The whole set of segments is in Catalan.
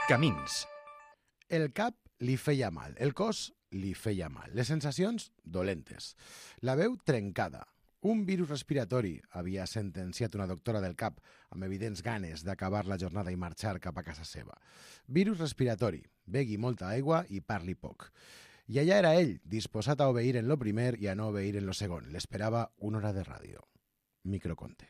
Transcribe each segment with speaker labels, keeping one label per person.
Speaker 1: Camins.
Speaker 2: El cap li feia mal, el cos li feia mal, les sensacions dolentes, la veu trencada. Un virus respiratori havia sentenciat una doctora del cap amb evidents ganes d'acabar la jornada i marxar cap a casa seva. Virus respiratori, begui molta aigua i parli poc. I allà era ell, disposat a obeir en lo primer i a no obeir en lo segon. L'esperava una hora de ràdio. Microconte.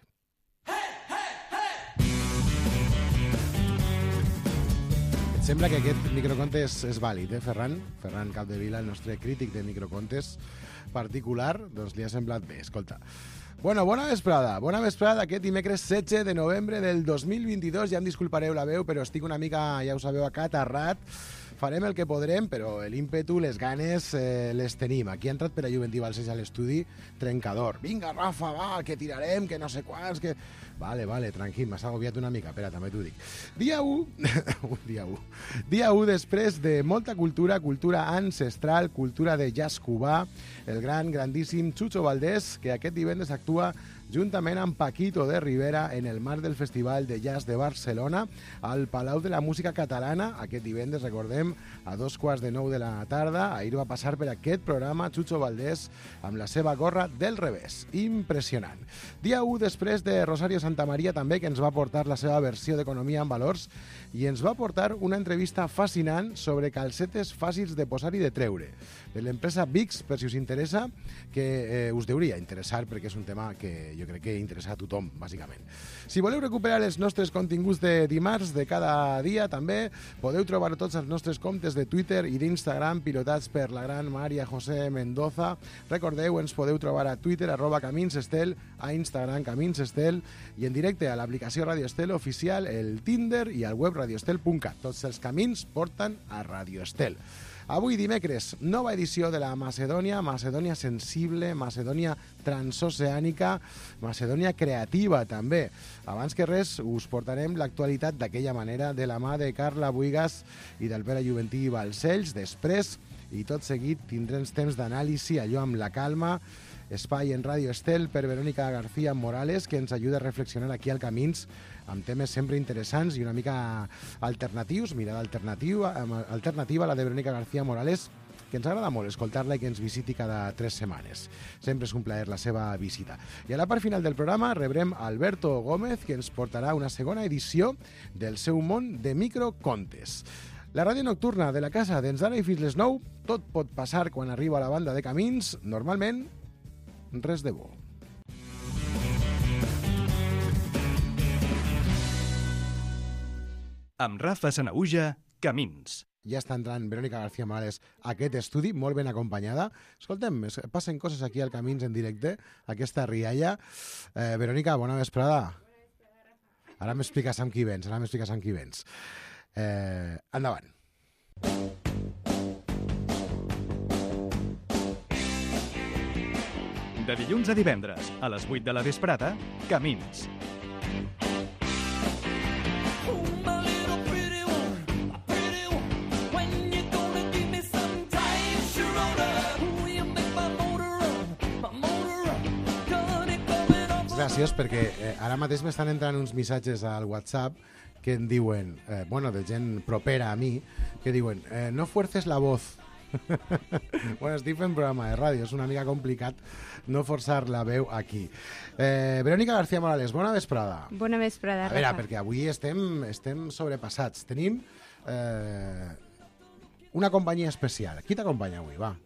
Speaker 2: Et sembla que aquest microconte és vàlid, Ferran? Ferran Capdevila, el nostre crític de microcontes particular, doncs li ha semblat bé, escolta. Bueno, bona vesprada aquest dimecres 16 de novembre del 2022, ja em disculpareu la veu, però estic una mica, ja ho sabeu, acatarrat. Farem el que podrem, però l'ímpetu, les ganes, les tenim. Aquí ha entrat per a Juventí Balcells a l'estudi, trencador. Vinga, Rafa, va, que tirarem, que no sé quants, que... Vale, tranquil, m'has agobiat una mica. Espera, també t'ho dic. Dia 1. Dia 1 després de molta cultura ancestral, cultura de jazz cubà, el grandíssim Chucho Valdés, que aquest divendres actua juntament amb Paquito de Rivera en el marc del Festival de Jazz de Barcelona al Palau de la Música Catalana. Aquest divendres, recordem, a 2:15 de la tarda. Ahir va passar per aquest programa Chucho Valdés amb la seva gorra del revés. Impressionant. Dia 1 després de Rosario Santamaría també, que ens va portar la seva versió d'Economia en Valors i ens va portar una entrevista fascinant sobre calcetes fàcils de posar i de treure. De l'empresa Bix, per si us interessa, que us hauria interessar perquè és un tema que jo crec que interessa a tothom, bàsicament. Si voleu recuperar els nostres continguts de dimarts de cada dia, també podeu trobar tots els nostres comptes de Twitter i d'Instagram pilotats per la gran Maria José Mendoza. Recordeu, ens podeu trobar a Twitter, @CaminsEstel, a Instagram, CaminsEstel, i en directe a l'aplicació Radio Estel oficial, el Tinder i al web radioestel.cat. Tots els camins porten a Radio Estel. Avui dimecres, nova edició de la Macedònia sensible, Macedònia transoceànica, Macedònia creativa també. Abans que res, us portarem l'actualitat d'aquella manera de la mà de Carla Buigas i del Pere Juventí Balcells. Després, i tot seguit, tindrem temps d'anàlisi, allò amb la calma, espai en Radio Estel per Verónica García Morales, que ens ajuda a reflexionar aquí al Camins amb temes sempre interessants i una mica alternatius, mirada alternativa, la de Verónica García Morales, que ens agrada molt escoltar-la i que ens visiti cada 3 setmanes. Sempre és un plaer la seva visita. I a la part final del programa rebrem Alberto Gómez, que ens portarà una segona edició del seu món de microcontes. La ràdio nocturna de la casa d'ens d'ara i fins les 9, tot pot passar quan arriba la banda de Camins, normalment res de bo.
Speaker 1: Amb Rafa Sanahuja, Camins.
Speaker 2: Ja està entrant Verónica García Morales a aquest estudi, molt ben acompanyada. Escoltem, passen coses aquí al Camins en directe, aquesta rialla. Verónica, bona vesprada. Ara m'expliques amb qui vens, endavant.
Speaker 1: De dilluns a divendres, a les 8 de la vesprada, Camins.
Speaker 2: Gràcies, perquè ara mateix m'estan entrant uns missatges al WhatsApp que em diuen, de gent propera a mi, que diuen, no fuerces la voz. Bueno, estic fent programa de ràdio, és una mica complicat no forçar la veu aquí. Verónica García Morales, bona vesprada.
Speaker 3: Bona vesprada, Rafa.
Speaker 2: A veure, perquè avui estem sobrepassats. Tenim una companyia especial. Qui t'acompanya avui, va?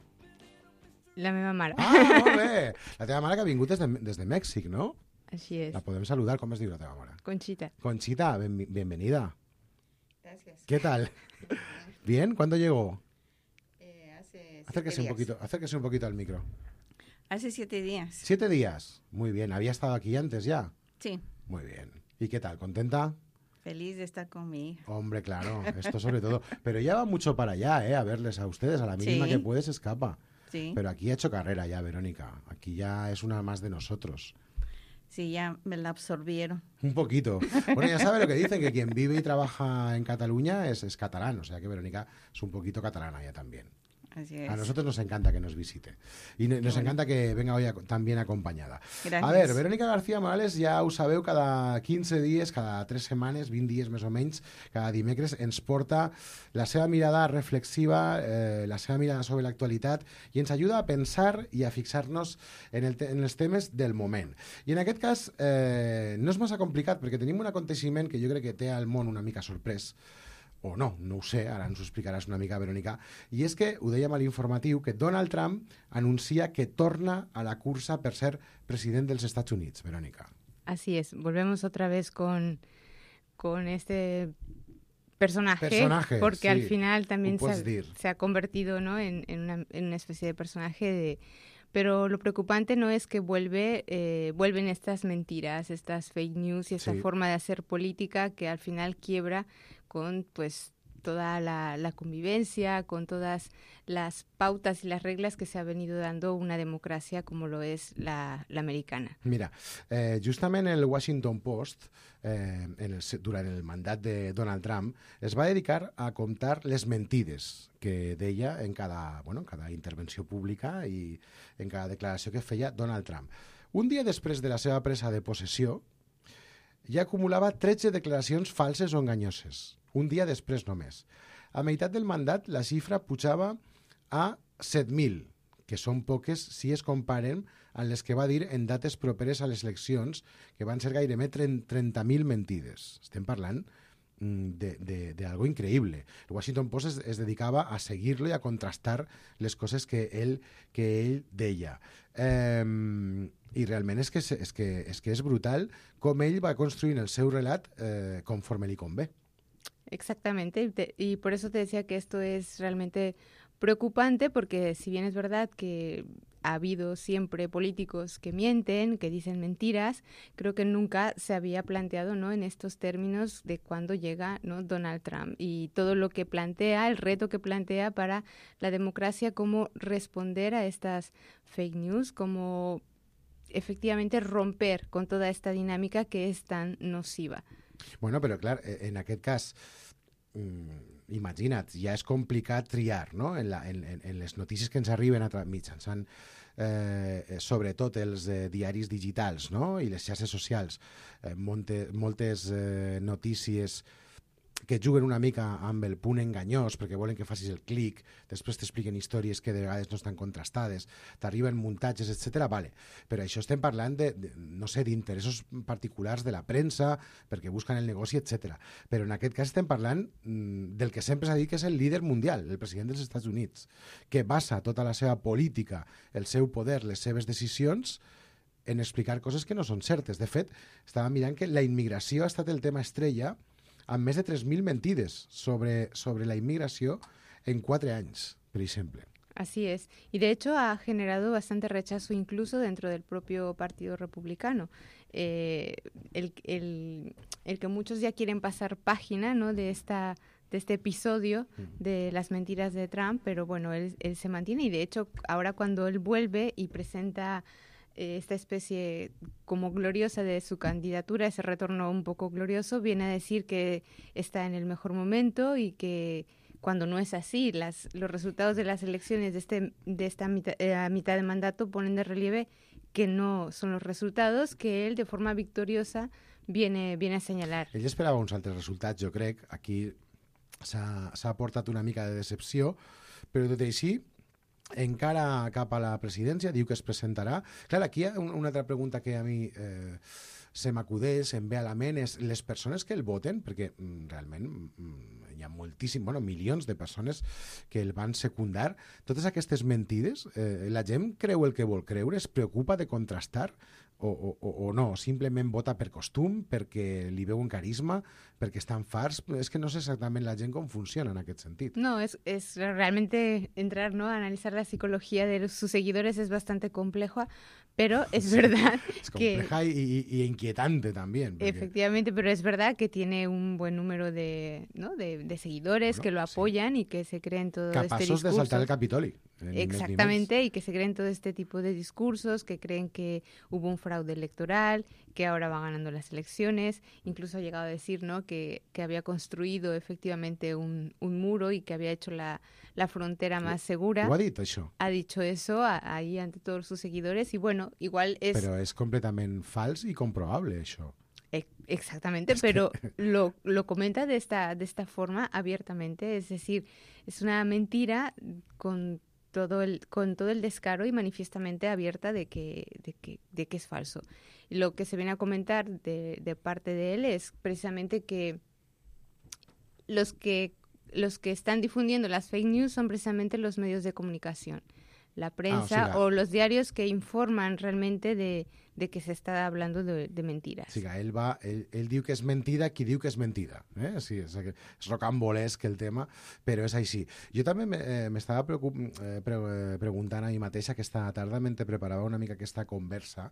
Speaker 3: La meva mare.
Speaker 2: Ah, molt bé! La teva mare que ha vingut des de Mèxic, no?
Speaker 3: Així és.
Speaker 2: La podem saludar. ¿Cómo es diu la teva mare?
Speaker 3: Conchita.
Speaker 2: Conchita, bienvenida.
Speaker 4: Gracias.
Speaker 2: ¿Qué tal? ¿Bien? ¿Cuándo llegó?
Speaker 4: Hace
Speaker 2: Acérquese un poquito al micro.
Speaker 4: Hace 7 días.
Speaker 2: 7 días. Muy bien. ¿Había estado aquí antes ya?
Speaker 4: Sí.
Speaker 2: Muy bien. ¿Y qué tal? ¿Contenta?
Speaker 4: Feliz de estar con mi hija.
Speaker 2: Hombre, claro. Esto sobre todo. Pero ya va mucho para allá, a verles a ustedes. A la mínima
Speaker 4: Sí.
Speaker 2: que puede se escapa.
Speaker 4: Sí.
Speaker 2: Pero aquí ha hecho carrera ya, Verónica. Aquí ya es una más de nosotros.
Speaker 4: Sí, ya me la absorbieron.
Speaker 2: Un poquito. Bueno, ya sabe lo que dicen, que quien vive y trabaja en Cataluña es catalán. O sea que Verónica es un poquito catalana ya también.
Speaker 4: Así es.
Speaker 2: A nosotros nos encanta que nos visite. Y nos encanta que venga hoy tan bien acompanyada.
Speaker 4: Gràcies.
Speaker 2: A veure, Verónica García Morales, ja ho sabeu, cada 15 dies, cada 3 setmanes, 20 dies més o menys, cada dimecres, ens porta la seva mirada reflexiva, la seva mirada sobre l'actualitat, i ens ajuda a pensar i a fixar-nos en els temes del moment. I en aquest cas no és massa complicat, perquè tenim un aconteixement que jo crec que té al món una mica sorprès, o no ho sé, ara ens ho explicaràs una mica, Verónica, i és que, ho dèiem a l'informatiu, que Donald Trump anuncia que torna a la cursa per ser president dels Estats Units, Verónica.
Speaker 3: Así es, volvemos otra vez con este personaje porque
Speaker 2: sí,
Speaker 3: al final también
Speaker 2: se
Speaker 3: ha convertido, ¿no?, en una especie de personaje pero lo preocupante no es que vuelven estas mentiras, estas fake news y esta forma de hacer política que al final quiebra con pues toda la convivencia, con todas las pautas y las reglas que se ha venido dando una democracia como lo es la americana.
Speaker 2: Mira, justament el Washington Post, durant el mandat de Donald Trump, es va dedicar a contar les mentides que deia en cada intervenció pública i en cada declaració que feia Donald Trump. Un dia després de la seva presa de possessió, ja acumulava 13 declaracions falses o enganyoses. Un dia després només. A meitat del mandat, la xifra pujava a 7.000, que són poques si es comparen amb les que va dir en dates properes a les eleccions, que van ser gairebé 30.000 mentides. Estem parlant d'algo increïble. El Washington Post es dedicava a seguir-lo i a contrastar les coses que ell deia. I realment és que és brutal com ell va construint el seu relat conforme li convé.
Speaker 3: Exactamente, y por eso te decía que esto es realmente preocupante, porque si bien es verdad que ha habido siempre políticos que mienten, que dicen mentiras, creo que nunca se había planteado, ¿no?, en estos términos de cuando llega, ¿no?, Donald Trump y todo lo que plantea, el reto que plantea para la democracia, cómo responder a estas fake news, cómo efectivamente romper con toda esta dinámica que es tan nociva.
Speaker 2: Bueno, però clar, en aquest cas, imagina't, ja és complicat triar, no?, en les notícies que ens arriben mitjançant sobretot els diaris digitals, no?, i les xarxes socials, moltes notícies que juguen una mica amb el punt enganyós perquè volen que facis el clic, després t'expliquen històries que de vegades no estan contrastades, t'arriben muntatges, etc. Vale. Però això estem parlant no sé, d'interessos particulars de la premsa, perquè busquen el negoci, etc. Però en aquest cas estem parlant del que sempre s'ha dit que és el líder mundial, el president dels Estats Units, que basa tota la seva política, el seu poder, les seves decisions en explicar coses que no són certes. De fet, estava mirant que la immigració ha estat el tema estrella amb més de 3.000 mentides sobre la inmigració en 4 anys, per exemple.
Speaker 3: Así es. Y de hecho ha generado bastante rechazo incluso dentro del propio Partido Republicano. El que muchos ya quieren pasar página, ¿no?, de este episodio de las mentiras de Trump, pero bueno, él se mantiene y de hecho ahora cuando él vuelve y presenta esta especie como gloriosa de su candidatura, ese retorno un poco glorioso, viene a decir que está en el mejor momento y que cuando no es así, los resultados de las elecciones de esta mitad de mandato ponen de relieve que no son los resultados que él de forma victoriosa viene a señalar.
Speaker 2: Ell esperava uns altres resultats, jo crec. Aquí s'ha portat una mica de decepció, però tot i així encara cap a la presidència, diu que es presentarà. Clar, aquí hi ha una altra pregunta que a mi se m'acudeix, em ve a la ment, és les persones que el voten, perquè realment hi ha milions de persones que el van secundar. Totes aquestes mentides, la gent creu el que vol creure, es preocupa de contrastar o no, simplement vota per costum, perquè li veuen carisma, perquè estan farts. És que no sé exactament la gent com funciona en aquest sentit.
Speaker 3: No, es realmente entrar, ¿no?, a analizar la psicología de sus seguidores es bastante complejo, pero es verdad
Speaker 2: es compleja y inquietante también. Porque...
Speaker 3: Efectivamente, pero es verdad que tiene un buen número de seguidores que lo apoyan y que se creen todo este discurso.
Speaker 2: Capaços de saltar el Capitoli.
Speaker 3: Exactamente, y que se creen todo este tipo de discursos, que creen que hubo un fraude electoral, que ahora va ganando las elecciones. Incluso ha llegado a decir, ¿no?, que había construido efectivamente un muro y que había hecho la frontera más segura.
Speaker 2: Ho ha dit, això?
Speaker 3: Ha dicho eso ahí ante todos sus seguidores y bueno, igual es...
Speaker 2: Però és completament fals i comprobable, això.
Speaker 3: Exactamente, pero lo comenta de esta forma abiertamente, es decir, es una mentira con todo el descaro y manifiestamente abierta de que es falso. Y lo que se viene a comentar de parte de él es precisamente que los que están difundiendo las fake news son precisamente los medios de comunicación, la prensa o los diarios que informan realmente de que se está hablando de mentiras.
Speaker 2: Sí, ell diu que és mentida qui diu que és mentida. Sí, és rocambolesc el tema, però és així. Jo també m'estava preguntant a mi mateixa aquesta tarda, mentre preparava una mica aquesta conversa.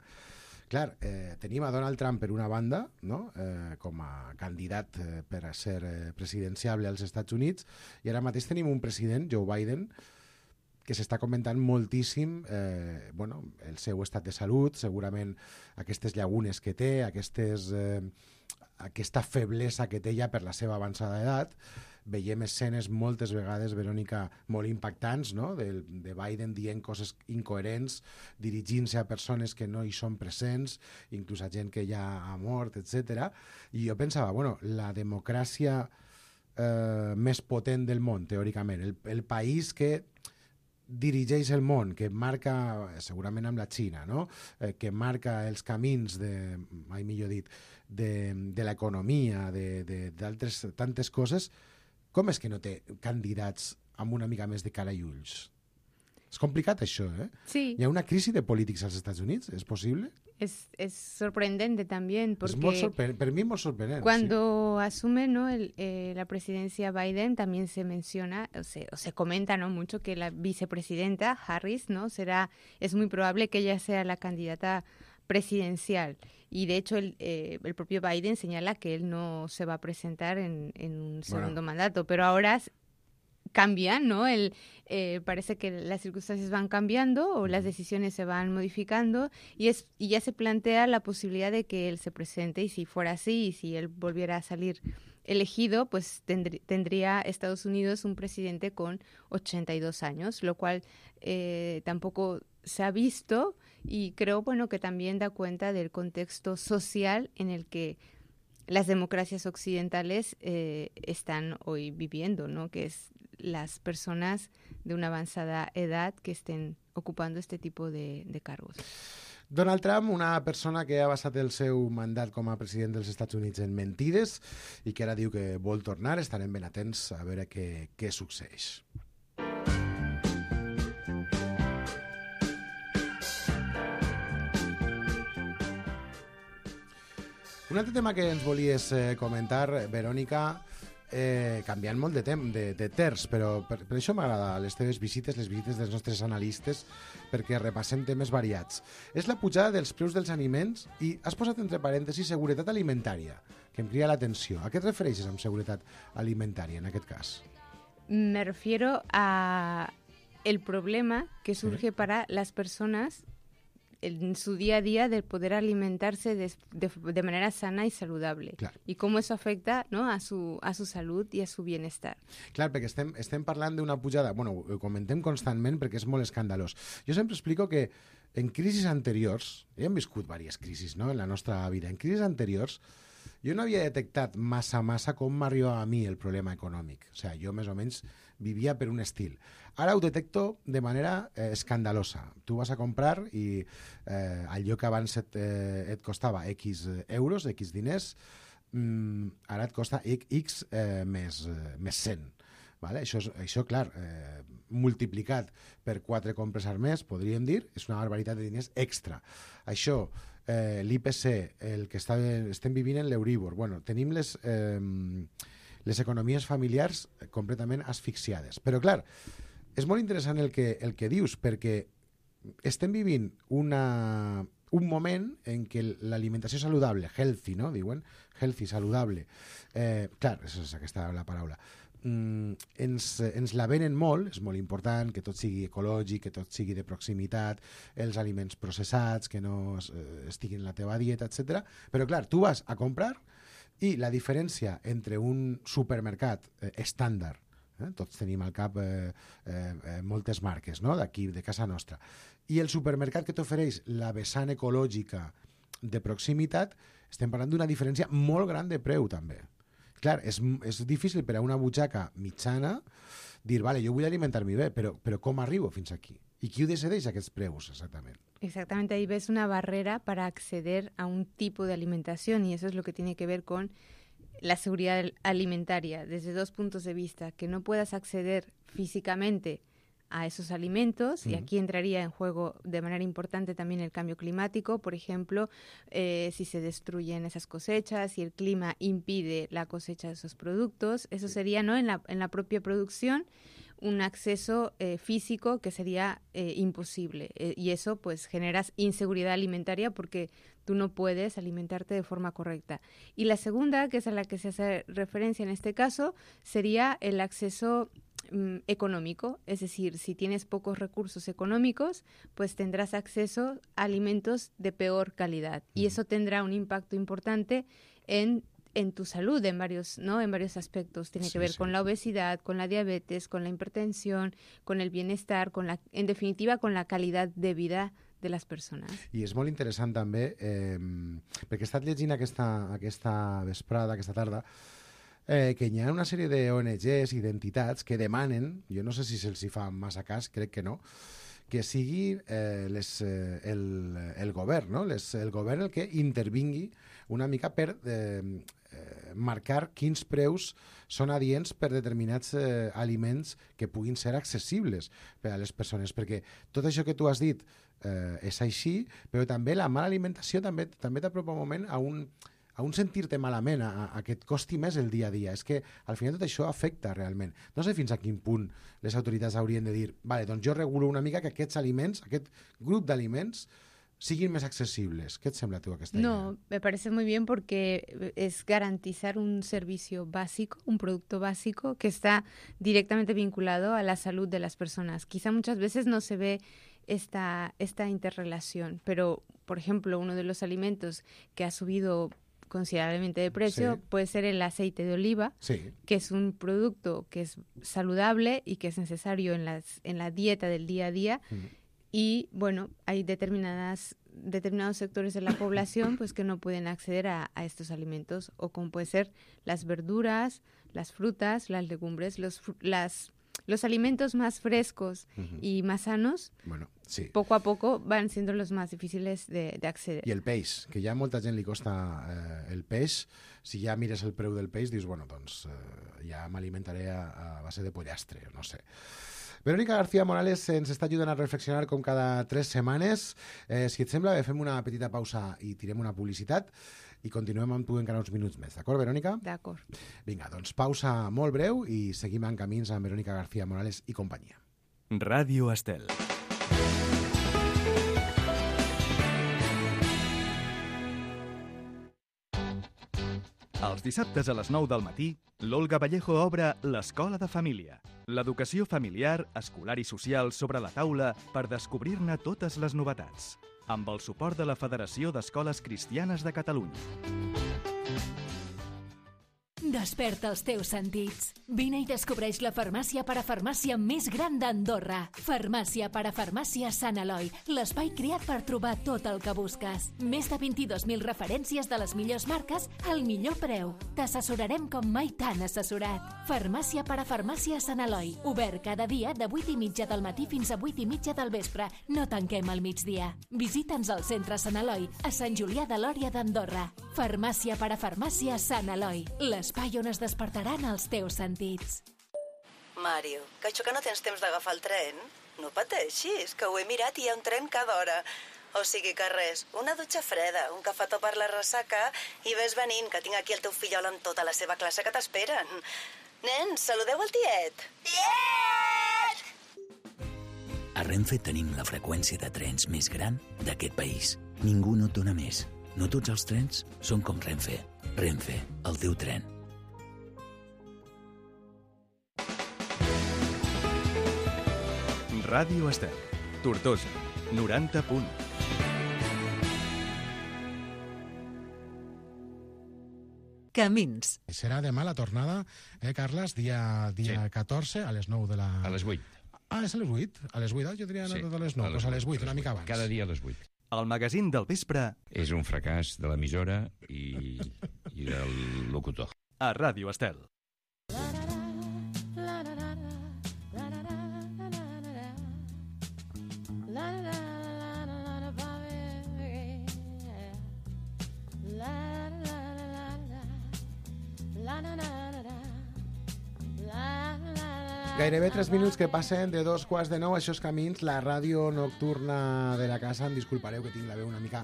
Speaker 2: Clar, tenim a Donald Trump per una banda, no?, com a candidat per a ser presidenciable als Estats Units, i ara mateix tenim un president, Joe Biden, que s'està comentant moltíssim el seu estat de salut, segurament aquestes llagunes que té, aquesta feblesa que té ja per la seva avançada edat. Veiem escenes moltes vegades, Verònica, molt impactants, no?, de Biden dient coses incoherents, dirigint-se a persones que no hi són presents, inclús a gent que ja ha mort, etc. I jo pensava, la democràcia més potent del món, teòricament, el país que dirigeix el món, que marca, segurament amb la Xina, no?, que marca els camins mai millor dit, de l'economia, d'altres tantes coses, com és que no té candidats amb una mica més de cara i ulls? És complicat això, eh?
Speaker 3: Sí.
Speaker 2: Hi ha una crisi de polítics als Estats Units, ¿es posible?
Speaker 3: Es sorprendente también porque
Speaker 2: para mí es muy sorprendente.
Speaker 3: Cuando asume, ¿no?, la presidencia Biden, también se menciona o se comenta, ¿no?, mucho que la vicepresidenta Harris, ¿no?, es muy probable que ella sea la candidata presidencial. Y de hecho el propio Biden señala que él no se va a presentar en un segundo mandato, pero ahora cambian, ¿no? Parece que las circunstancias van cambiando o las decisiones se van modificando y ya se plantea la posibilidad de que él se presente, y si fuera así y si él volviera a salir elegido, pues tendría Estados Unidos un presidente con 82 años, lo cual tampoco se ha visto, y creo, que también da cuenta del contexto social en el que las democracias occidentales están hoy viviendo, ¿no?, que es las personas de una avanzada edad que estén ocupando este tipo de cargos.
Speaker 2: Donald Trump, una persona que ha basat el seu mandat com a president dels Estats Units en mentides i que ara diu que vol tornar. Estarem ben atents a veure què succeeix. Un altre tema que ens volies comentar, Verònica, canviant molt de terç, però per això m'agrada les teves visites, les visites dels nostres analistes, perquè repassem temes variats. És la pujada dels preus dels aliments i has posat entre parèntesis seguretat alimentària, que em crida l'atenció. A què et refereixes amb seguretat alimentària en aquest cas?
Speaker 3: Me refiero a el problema que surge para las personas en su día a día de poder alimentarse de manera sana y saludable. Claro. Y cómo eso afecta, ¿no?, a su salud y a su bienestar. Clar,
Speaker 2: perquè estem parlant d'una pujada, ho comentem constantment perquè és molt escandalós. Jo sempre explico que en crisis anteriors, hem viscut diverses crisis, no?, en la nostra vida, en crisis anteriors, jo no havia detectat massa com m'arribava a mi el problema econòmic. O sigui, jo més o menys vivia per un estil. Ara ho detecto de manera escandalosa. Tu vas a comprar i allò que abans et costava X euros, X diners, ara et costa X més 100. Vale? Això, clar, multiplicat per 4 compres al mes, podríem dir, és una barbaritat de diners extra. Això, l'IPC, el que estem vivint en l'Euríbor, tenim les economies familiars completament asfixiades. Però, clar, és molt interessant el que dius, perquè estem vivint una un moment en què l'alimentació saludable, healthy, no? Diuen, healthy, saludable. Clar, és aquesta la paraula. Ens la venen molt, és molt important que tot sigui ecològic, que tot sigui de proximitat, els aliments processats, que no estiguin en la teva dieta, etc. Però clar, tu vas a comprar i la diferència entre un supermercat estàndard, tots tenim al cap moltes marques, no? D'aquí, de casa nostra, i el supermercat que t'ofereix la vessant ecològica de proximitat, estem parlant d'una diferència molt gran de preu també. Clar, és difícil per a una butxaca mitjana dir, vale, jo vull alimentar-me bé, però com arribo fins aquí? I qui ho decideix aquests preus exactament?
Speaker 3: Exactamente, ahí ves una barrera para acceder a un tipo de alimentación y eso es lo que tiene que ver con la seguridad alimentaria desde dos puntos de vista, que no puedas acceder físicamente a esos alimentos, y aquí entraría en juego de manera importante también el cambio climático, por ejemplo, si se destruyen esas cosechas, si el clima impide la cosecha de esos productos, eso sería, ¿no?, en la propia producción un acceso físico que sería imposible, y eso pues generas inseguridad alimentaria porque tú no puedes alimentarte de forma correcta. Y la segunda, que es a la que se hace referencia en este caso, sería el acceso económico, es decir, si tienes pocos recursos económicos, pues tendrás acceso a alimentos de peor calidad y eso tendrá un impacto importante en tu salud en varios aspectos. Tiene que ver con la obesidad, con la diabetes, con la hipertensión, con el bienestar, en definitiva con la calidad de vida de les persones.
Speaker 2: I és molt interessant també, perquè he estat llegint aquesta vesprada, aquesta tarda, que hi ha una sèrie d'ONGs i d'entitats que demanen, jo no sé si se'ls hi fa massa cas, crec que no, que sigui el govern, no? El govern el que intervingui una mica per marcar quins preus són adients per determinats aliments que puguin ser accessibles per a les persones, perquè tot això que tu has dit és així, però també la mala alimentació també t'apropa un moment a un sentir-te malament, a que et costi més el dia a dia. És que al final tot això afecta realment. No sé fins a quin punt les autoritats haurien de dir, vale, doncs jo regulo una mica que aquests aliments, aquest grup d'aliments, siguin més accesibles. ¿Qué te sembla tú aquesta idea?
Speaker 3: No, me parece muy bien porque es garantizar un servicio básico, un producto básico que está directamente vinculado a la salud de las personas. Quizá muchas veces no se ve esta interrelación, pero, por ejemplo, uno de los alimentos que ha subido considerablemente de precio puede ser el aceite de oliva, que es un producto que es saludable y que es necesario en la dieta del día a día. Y bueno, hay determinados sectores de la población pues que no pueden acceder a estos alimentos, o como puede ser las verduras, las frutas, las legumbres, los alimentos más frescos y más sanos, poco a poco van siendo los más difíciles de acceder.
Speaker 2: I el peix, que ja a molta gent li costa el peix. Si ja mires el preu del peix, dius, bueno, doncs ja m'alimentaré a base de pollastre, no sé. Verónica García Morales ens està ajudant a reflexionar com cada 3 setmanes. Si et sembla, fem una petita pausa i tirem una publicitat i continuem amb tu encara uns minuts més. D'acord, Verónica?
Speaker 3: D'acord.
Speaker 2: Vinga, doncs pausa molt breu i seguim en camins amb Verónica García Morales i companyia.
Speaker 1: Ràdio Estel. Els dissabtes a les 9 del matí, l'Olga Vallejo obre l'Escola de Família. L'educació familiar, escolar i social sobre la taula per descobrir-ne totes les novetats. Amb el suport de la Federació d'Escoles Cristianes de Catalunya.
Speaker 5: Desperta els teus sentits. Vine i descobreix la farmàcia parafarmàcia més gran d'Andorra. Farmàcia parafarmàcia Sant Eloi, l'espai creat per trobar tot el que busques. Més de 22.000 referències de les millors marques al millor preu. T'assessorarem com mai t'han assessorat. Farmàcia parafarmàcia Sant Eloi, obert cada dia de 8:30 del matí fins a 8:30 del vespre. No tanquem al migdia. Visita'ns al centre Sant Eloi, a Sant Julià de Lòria d'Andorra. Farmàcia parafarmàcia Sant Eloi, l'espai on es despertaran els teus sentits.
Speaker 6: Mario, que això que no tens temps d'agafar el tren? No pateixis, que ho he mirat i hi ha un tren cada hora. O sigui que res, una dutxa freda, un cafetó per la ressaca i ves venint, que tinc aquí el teu fillol amb tota la seva classe que t'esperen. Nens, saludeu el tiet. Tiet!
Speaker 7: A Renfe tenim la freqüència de trens més gran d'aquest país. Ningú no et dona més. No tots els trens són com Renfe. Renfe, el teu tren.
Speaker 1: Ràdio Estel, Tortosa, 90 punt.
Speaker 8: Camins.
Speaker 2: Serà demà la tornada, Carles, dia 14, a les 9 de la...
Speaker 9: A les 8.
Speaker 2: Ah, és a les 8? A les 8, jo tenia anat a les 9, doncs a les 8, una mica abans.
Speaker 9: Cada dia a les 8.
Speaker 1: El magazín del vespre...
Speaker 9: És un fracàs de l'emissora i del locutor.
Speaker 1: A Ràdio Estel.
Speaker 2: Gairebé 3 minuts que passen de 2:15, això és Camins, la ràdio nocturna de la casa. Em disculpareu que tinc la veu una mica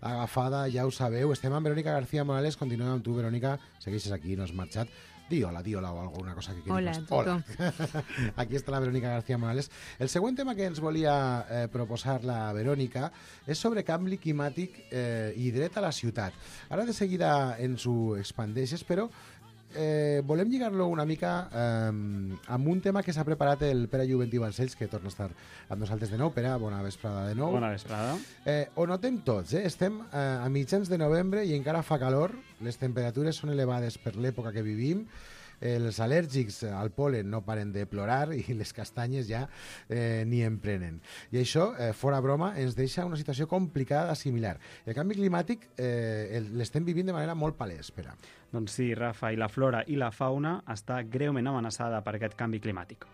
Speaker 2: agafada, ja ho sabeu. Estem amb Verònica García Morales, continuem amb tu, Verònica, segueixes aquí, no has marxat. Di hola o alguna cosa que quieras.
Speaker 3: Hola,
Speaker 2: Aquí està la Verònica García Morales. El següent tema que ens volia proposar la Verònica és sobre canvi climàtic i dret a la ciutat. Ara de seguida ens ho expandeixes, però volem lligar-lo una mica amb un tema que s'ha preparat el Pere Juventí Balcells, que torna a estar amb nosaltres de nou. Pere, bona vesprada de nou.
Speaker 10: Bona vesprada.
Speaker 2: Ho notem tots, estem a mitjans de novembre i encara fa calor, les temperatures són elevades per l'època que vivim, els al·lèrgics al pol·len no paren de plorar i les castanyes ja ni en prenen. I això, fora broma, ens deixa una situació complicada d'assimilar. El canvi climàtic l'estem vivint de manera molt palès, Pere.
Speaker 10: Doncs sí, Rafa, i la flora i la fauna està greument amenaçada per aquest canvi climàtic.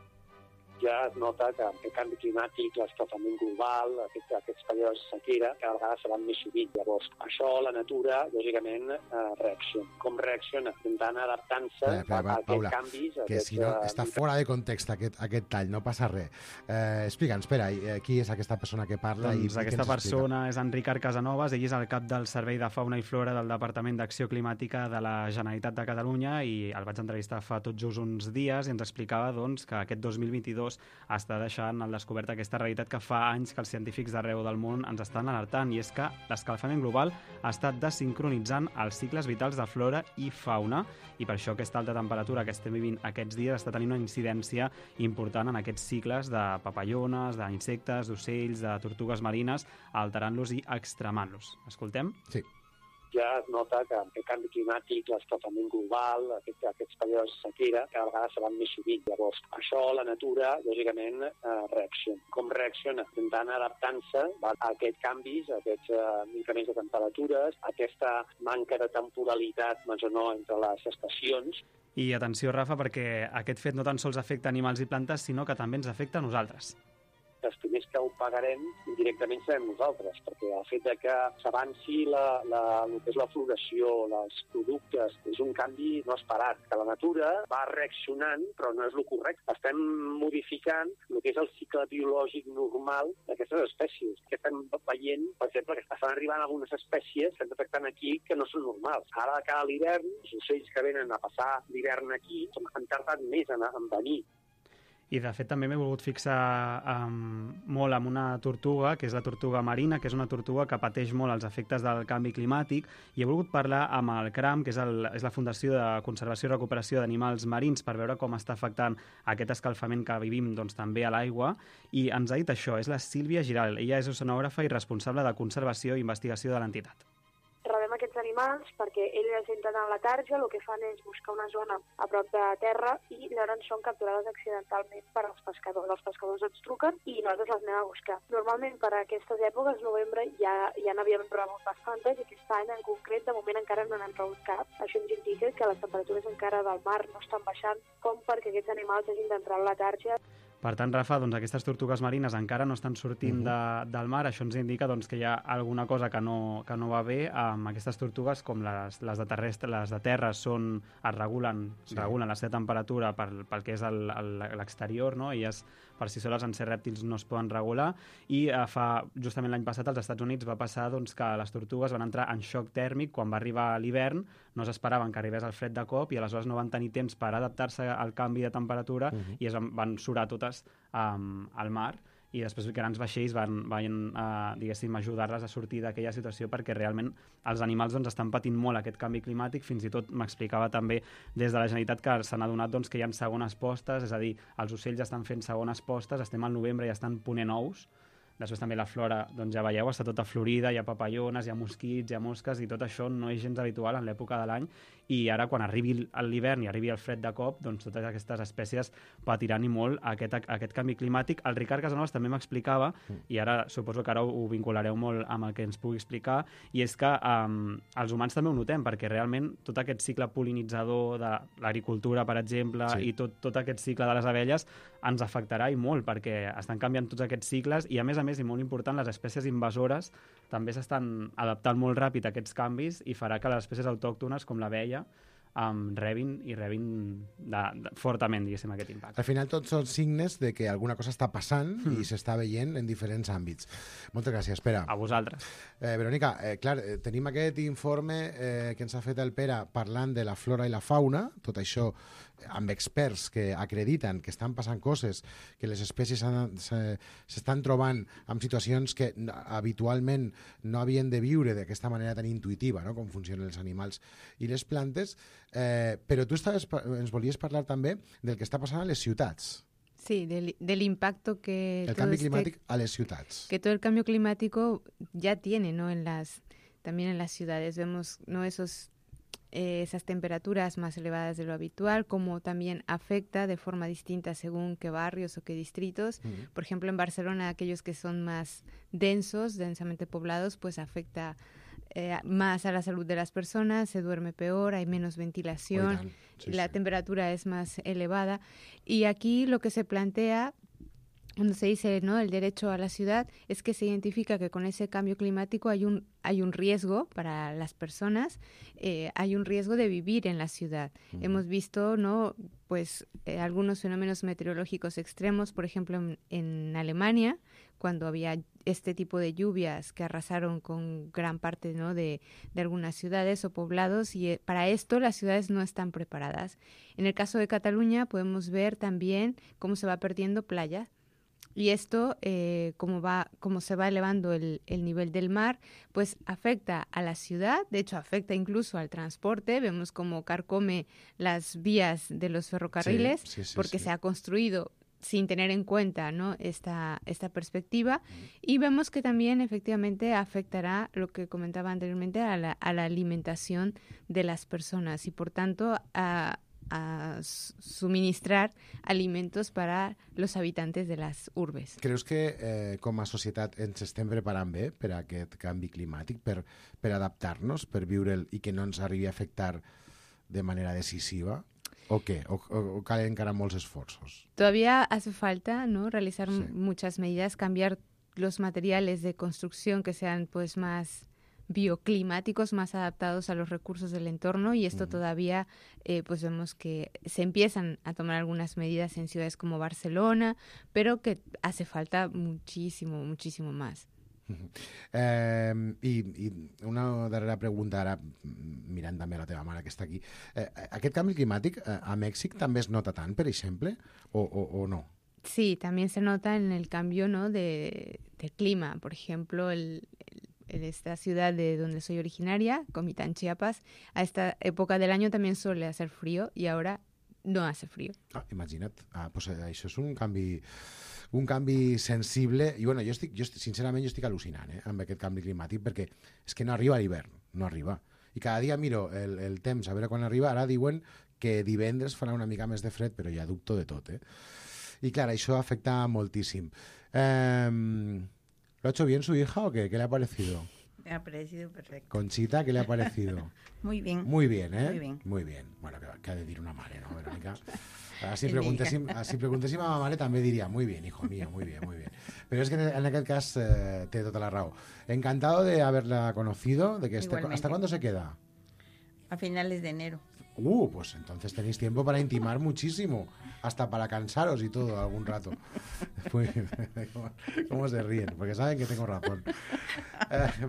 Speaker 11: Ja es nota que el canvi climàtic, l'escalfament global, aquests períodes de sequera, cada vegada se van més sovint. Llavors, això la natura, lògicament, reacciona. Com reacciona? Intentant adaptant-se a aquests canvis.
Speaker 2: Que si no, està fora de context aquest tall, no passa res. Explica'ns, espera, qui és aquesta persona que parla?
Speaker 10: Doncs aquesta persona és Enric Casanovas, ell és el cap del Servei de Fauna i Flora del Departament d'Acció Climàtica de la Generalitat de Catalunya i el vaig entrevistar fa tot just uns dies i ens explicava doncs, que aquest 2022 està deixant al descobert aquesta realitat que fa anys que els científics d'arreu del món ens estan alertant, i és que l'escalfament global ha estat desincronitzant els cicles vitals de flora i fauna, i per això aquesta alta temperatura que estem vivint aquests dies està tenint una incidència important en aquests cicles de papallones, d'insectes, d'ocells, de tortugues marines, alterant-los i extremant-los. Escoltem?
Speaker 2: Sí.
Speaker 11: Ja es nota que el canvi climàtic, l'escalfament global, aquests períodes de sequera, cada vegada se van més sovint. Llavors, això la natura, lògicament, reacciona. Com reacciona? Intentant adaptant-se a aquests canvis, a aquests increments de temperatures, a aquesta manca de temporalitat, més o no, entre les estacions.
Speaker 10: I atenció, Rafa, perquè aquest fet no tan sols afecta animals i plantes, sinó que també ens afecta a nosaltres.
Speaker 11: Els primers que ho pagarem indirectament serem nosaltres, perquè el fet de que s'avanci el que és la floració, els productes, és un canvi no esperat, que la natura va reaccionant, però no és el correcte. Estem modificant el que és el cicle biològic normal d'aquestes espècies. Que estem veient, per exemple, que estan arribant algunes espècies que estem detectant aquí que no són normals. Ara, de cara a l'hivern, els ocells que venen a passar l'hivern aquí han tardat més en venir.
Speaker 10: I, de fet, també m'he volgut fixar molt en una tortuga, que és la tortuga marina, que és una tortuga que pateix molt els efectes del canvi climàtic, i he volgut parlar amb el CRAM, que és la Fundació de Conservació i Recuperació d'Animals Marins, per veure com està afectant aquest escalfament que vivim doncs, també a l'aigua, i ens ha dit això, és la Sílvia Giral. Ella és oceanògrafa i responsable de conservació i investigació de l'entitat.
Speaker 12: Rebem aquests animals perquè ells entren a la tarja, el que fan és buscar una zona a prop de terra i llavors són capturades accidentalment per als pescadors. Els pescadors ens truquen i nosaltres les anem a buscar. Normalment per aquestes èpoques, novembre, ja n'havíem rebut bastantes i aquest any en concret de moment encara no n'hem rebut cap. Això ens indica que les temperatures encara del mar no estan baixant com perquè aquests animals hagin d'entrar a la tarja.
Speaker 10: Per tant, Rafa, doncs aquestes tortugues marines encara no estan sortint del mar. Això ens indica doncs, que hi ha alguna cosa que no va bé amb aquestes tortugues, com les de terra es regulen la seva temperatura pel que és l'exterior, no? Elles per si soles en ser rèptils no es poden regular, i justament l'any passat als Estats Units va passar doncs, que les tortugues van entrar en xoc tèrmic quan va arribar l'hivern, no s'esperaven que arribés el fred de cop i aleshores no van tenir temps per adaptar-se al canvi de temperatura i es van surar totes al mar, i després grans vaixells van diguéssim, ajudar-les a sortir d'aquella situació, perquè realment els animals doncs, estan patint molt aquest canvi climàtic. Fins i tot m'explicava també des de la Generalitat que s'han adonat doncs, que hi ha segones postes, és a dir, els ocells estan fent segones postes, estem al novembre i estan ponent ous. Després també la flora, doncs ja veieu, està tota florida, hi ha papallones, hi ha mosquits, hi ha mosques, i tot això no és gens habitual en l'època de l'any, i ara quan arribi l'hivern i arribi el fred de cop, doncs totes aquestes espècies patiran i molt aquest canvi climàtic. El Ricard Casanovas també m'explicava, i ara suposo que ara ho vinculareu molt amb el que ens pugui explicar, i és que els humans també ho notem, perquè realment tot aquest cicle pol·linitzador de l'agricultura, per exemple, i tot aquest cicle de les abelles ens afectarà i molt, perquè estan canviant tots aquests cicles, i a més, i molt important, les espècies invasores també s'estan adaptant molt ràpid a aquests canvis, i farà que les espècies autòctones, com l'abella, rebin fortament, diguéssim, aquest impacte.
Speaker 2: Al final tots són signes de que alguna cosa està passant i s'està veient en diferents àmbits. Moltes gràcies, Pere.
Speaker 10: A vosaltres.
Speaker 2: Verònica, clar, tenim aquest informe que ens ha fet el Pere parlant de la flora i la fauna, tot això amb experts que acrediten que estan passant coses, que les espècies s'estan trobant en situacions que habitualment no havien de viure d'aquesta manera tan intuïtiva, no?, com funcionen els animals i les plantes, però tu ens volies parlar també del que està passant a les ciutats.
Speaker 3: Sí, del impacto que...
Speaker 2: El cambio climático a las ciudades.
Speaker 3: Que todo el cambio climático ya tiene, ¿no? También en las ciudades vemos, ¿no?, esas temperaturas más elevadas de lo habitual, como también afecta de forma distinta según qué barrios o qué distritos. Por ejemplo, en Barcelona, aquellos que son más densamente poblados, pues afecta más a la salud de las personas, se duerme peor, hay menos ventilación, la temperatura es más elevada. Y aquí lo que se plantea, cuando se dice, ¿no?, el derecho a la ciudad, es que se identifica que con ese cambio climático hay un riesgo para las personas, hay un riesgo de vivir en la ciudad. Hemos visto, ¿no?, pues algunos fenómenos meteorológicos extremos, por ejemplo en Alemania, cuando había este tipo de lluvias que arrasaron con gran parte, ¿no?, de algunas ciudades o poblados, y para esto las ciudades no están preparadas. En el caso de Cataluña podemos ver también cómo se va perdiendo playas. Y esto, como se va elevando el nivel del mar, pues afecta a la ciudad, de hecho afecta incluso al transporte. Vemos cómo carcome las vías de los ferrocarriles, porque se ha construido sin tener en cuenta, ¿no?, esta perspectiva. Y vemos que también efectivamente afectará, lo que comentaba anteriormente, a la alimentación de las personas y por tanto a suministrar alimentos para los habitantes de las urbes.
Speaker 2: Creus que com a societat ens estem preparant bé per a aquest canvi climàtic, per adaptar-nos, per viure'l i que no ens arribi a afectar de manera decisiva? ¿O qué? ¿O calen encara molts esfuerzos?
Speaker 3: Todavía hace falta, ¿no?, realizar muchas medidas, cambiar los materiales de construcción que sean pues más bioclimáticos, más adaptados a los recursos del entorno, y esto todavía pues vemos que se empiezan a tomar algunas medidas en ciudades como Barcelona, pero que hace falta muchísimo más.
Speaker 2: I una darrera pregunta, ara mirant també la teva mare que està aquí. Aquest canvi climàtic a Mèxic també es nota tant, per exemple, o no?
Speaker 3: Sí, también se nota en el cambio, ¿no?, de clima. Por ejemplo, en esta ciudad de donde soy originaria, Comitán, Chiapas, a esta época del año también suele hacer frío y ahora no hace frío.
Speaker 2: Imagina't. Pues això és un canvi sensible, i bueno, sincerament jo estic al·lucinant amb aquest canvi climàtic, perquè és que no arriba l'hivern, no arriba. I cada dia miro el temps a veure quan arriba. Ara diuen que divendres farà una mica més de fred, però ja dubto de tot. I clar, això afecta moltíssim. ¿Lo ha hecho bien su hija o qué? ¿Qué le ha parecido?
Speaker 4: Me ha parecido perfecto.
Speaker 2: Conchita, ¿qué le ha parecido?
Speaker 4: Muy bien.
Speaker 2: Muy bien, ¿eh?
Speaker 4: Muy bien.
Speaker 2: Muy bien. Bueno, que ha de dir una mare, ¿no, Verónica? Si preguntéssim a ma mare també diria muy bien, hijo mío, muy bien, muy bien. Pero es que en aquest cas té tota la raó. Encantado de haberla conocido. ¿Hasta cuándo se queda?
Speaker 4: A finales de enero.
Speaker 2: Pues entonces tenéis tiempo para intimar muchísimo, hasta para cansaros y todo algún rato. ¿Cómo se ríen? Porque saben que tengo razón.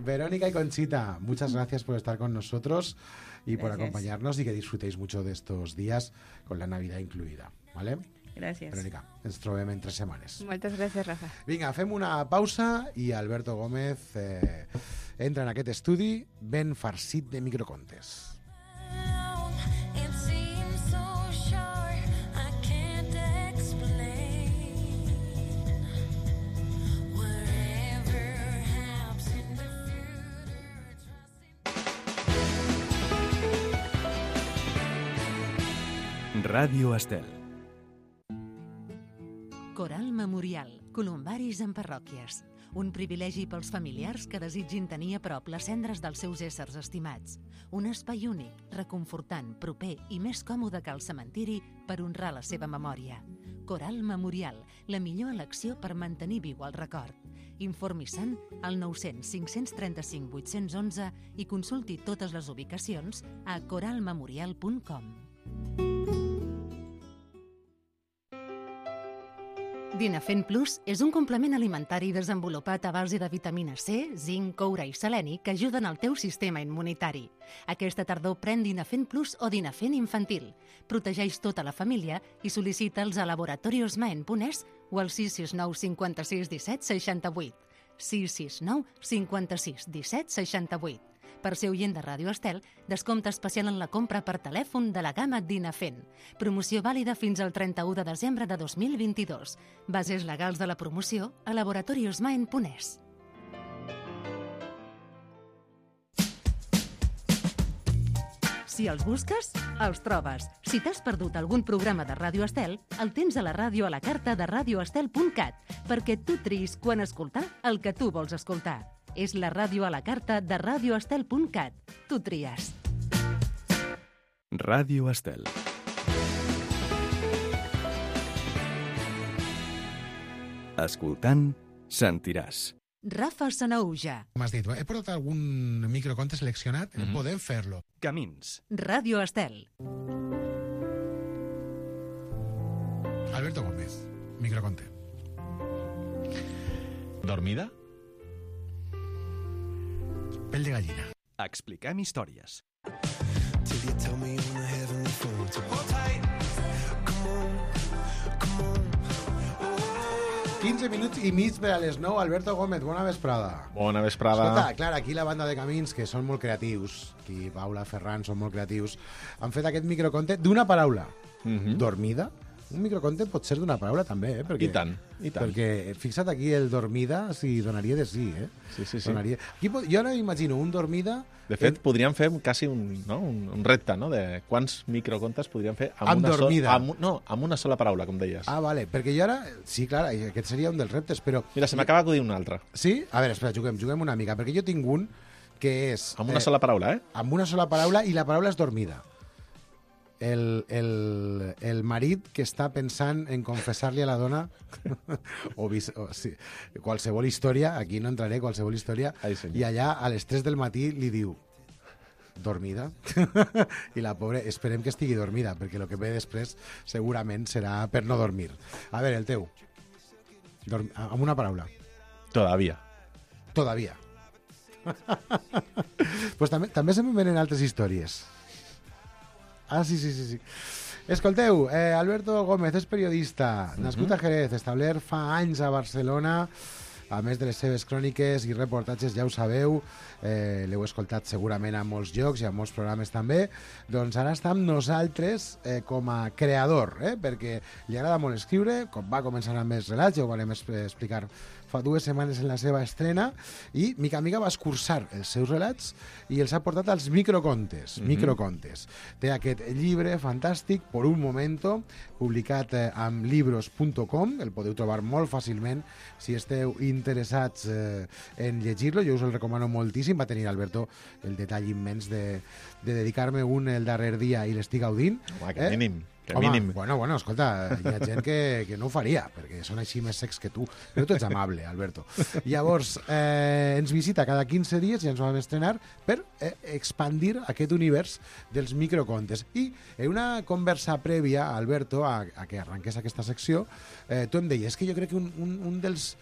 Speaker 2: Verónica y Conchita, muchas gracias por estar con nosotros y por acompañarnos, y que disfrutéis mucho de estos días con la Navidad incluida, ¿vale?
Speaker 4: Gràcies.
Speaker 2: Verònica, ens trobem en 3 setmanes.
Speaker 3: Moltes gràcies, Rafa.
Speaker 2: Vinga, fem una pausa i Alberto Gómez entra en aquest estudi ben farcit de microcontes.
Speaker 1: Ràdio Estel.
Speaker 8: Coral Memorial, columbaris en parròquies. Un privilegi pels familiars que desitgin tenir a prop les cendres dels seus éssers estimats. Un espai únic, reconfortant, proper i més còmode que el cementiri per honrar la seva memòria. Coral Memorial, la millor elecció per mantenir viu el record. Informi-se'n al 900 535 811 i consulti totes les ubicacions a coralmemorial.com. Dinafen Plus és un complement alimentari desenvolupat a base de vitamina C, zinc, coure i seleni que ajuden al teu sistema immunitari. Aquesta tardor pren Dinafen Plus o Dinafen infantil. Protegeix tota la família i sol·licita'ls a laboratoriosmaen.es o al 669 56 17 68. 669 56 17 68. Per ser oient de Ràdio Estel, descompte especial en la compra per telèfon de la gamma Dinafen. Promoció vàlida fins al 31 de desembre de 2022. Bases legals de la promoció a laboratoriosmaen.es. Si els busques, els trobes. Si t'has perdut algun programa de Ràdio Estel, el tens a la ràdio a la carta de radioestel.cat, perquè tu triïs quan escoltar el que tu vols escoltar. És la ràdio a la carta de radioestel.cat. Tu tries.
Speaker 1: Ràdio Estel. Escoltant, sentiràs.
Speaker 8: Rafa Sanauja.
Speaker 2: M'has dit, he portat algun microconte seleccionat? Podem fer-lo.
Speaker 1: Camins.
Speaker 8: Ràdio Estel.
Speaker 2: Alberto Gómez, microconte.
Speaker 13: Dormida?
Speaker 2: Pell de gallina.
Speaker 1: Expliquem històries.
Speaker 2: 15 minuts i mig per a les 9. Alberto Gómez, bona vesprada.
Speaker 13: Bona vesprada.
Speaker 2: Escolta, clar, aquí la banda de Camins, que són molt creatius, aquí Paula, Ferran, són molt creatius, han fet aquest microconte d'una paraula. Dormida. Un microconte pot ser d'una paraula també, perquè...
Speaker 13: I tant, i tant.
Speaker 2: Perquè fixa't aquí el dormida, si donaria de sí,
Speaker 13: Sí.
Speaker 2: Donaria... Aquí, jo ara imagino un dormida...
Speaker 13: De fet, podríem fer quasi un repte, no?, de quants microcontes podríem fer
Speaker 2: amb dormida.
Speaker 13: Amb una sola paraula, com deies.
Speaker 2: Ah, vale, perquè jo ara... Sí, clar, aquest seria un dels reptes, però...
Speaker 13: Mira, se m'acaba d'acudir un altre.
Speaker 2: Sí? A veure, espera, juguem una mica, perquè jo tinc un que és...
Speaker 13: Amb una sola paraula,
Speaker 2: Amb una sola paraula, i la paraula és dormida. El marit que està pensant en confessar-li a la dona sí, qualsevol història, aquí no entraré, qualsevol història, i allà a les 3 del matí li diu dormida i la pobra, esperem que estigui dormida, perquè el que ve després segurament serà per no dormir. A veure, el teu amb una paraula.
Speaker 13: Todavía.
Speaker 2: Pues també se me venen altres històries. Ah, sí. Escolteu, Alberto Gómez és periodista, nascut a Jerez, establert fa anys a Barcelona, a més de les seves cròniques i reportatges, ja ho sabeu, l'heu escoltat segurament a molts llocs i a molts programes també, doncs ara està amb nosaltres com a creador, perquè li agrada molt escriure, com va començar amb els relats, ja ho vam explicar fa 2 setmanes en la seva estrena, i mica en mica va escurçar els seus relats i els ha portat als microcontes. Té aquest llibre fantàstic, Por un momento, publicat amb libros.com, el podeu trobar molt fàcilment si esteu interessats en llegir-lo, jo us el recomano moltíssim. Va tenir, Alberto, el detall immens de dedicar-me un el darrer dia i l'estic gaudint.
Speaker 13: Home, que mínim.
Speaker 2: Home, bueno, escolta, hi ha gent que no ho faria, perquè són així més secs que tu. Però tu ets amable, Alberto. Llavors, ens visita cada 15 dies, ja ens vam estrenar, per expandir aquest univers dels microcontes. I en una conversa prèvia, Alberto, a que arrenqués aquesta secció, tu em deies que jo crec que un dels